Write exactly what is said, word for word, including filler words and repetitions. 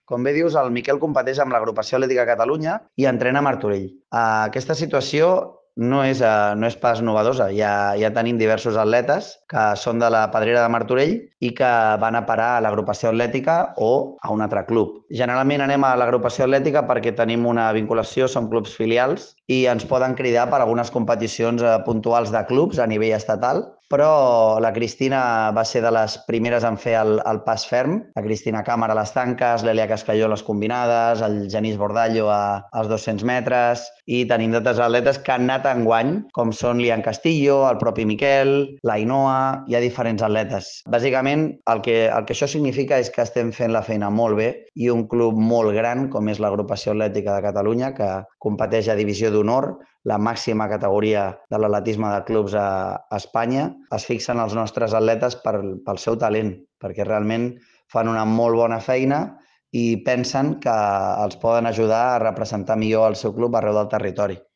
Com bé dius, el Miquel competeix amb l'Agrupació Atlètica Catalunya i entrena a Martorell. Uh, aquesta situació no és, uh, no és pas novedosa. Ja, ja tenim diversos atletes que són de la Pedrera de Martorell i que van a parar a l'Agrupació Atlètica o a un altre club. Generalment anem a l'Agrupació Atlètica perquè tenim una vinculació, som clubs filials i ens poden cridar per algunes competicions uh, puntuals de clubs a nivell estatal, però la Cristina va ser de les primeres en fer el, el pas ferm. La Cristina Càmara a les tanques, l'Elia Cascalló a les combinades, el Genís Bordallo a, als dos-cents metres, i tenim d'altres atletes que han anat enguany, com són l'Ian Castillo, el propi Miquel, l'Ainoa, hi ha diferents atletes. Bàsicament, el que, el que això significa és que estem fent la feina molt bé i un club molt gran, com és l'Agrupació Atlètica de Catalunya, que competeix a Divisió d'Honor, la màxima categoria de l'atletisme de clubs a, a Espanya, es fixen els nostres atletes per, pel seu talent, perquè realment fan una molt bona feina i pensen que els poden ajudar a representar millor el seu club arreu del territori.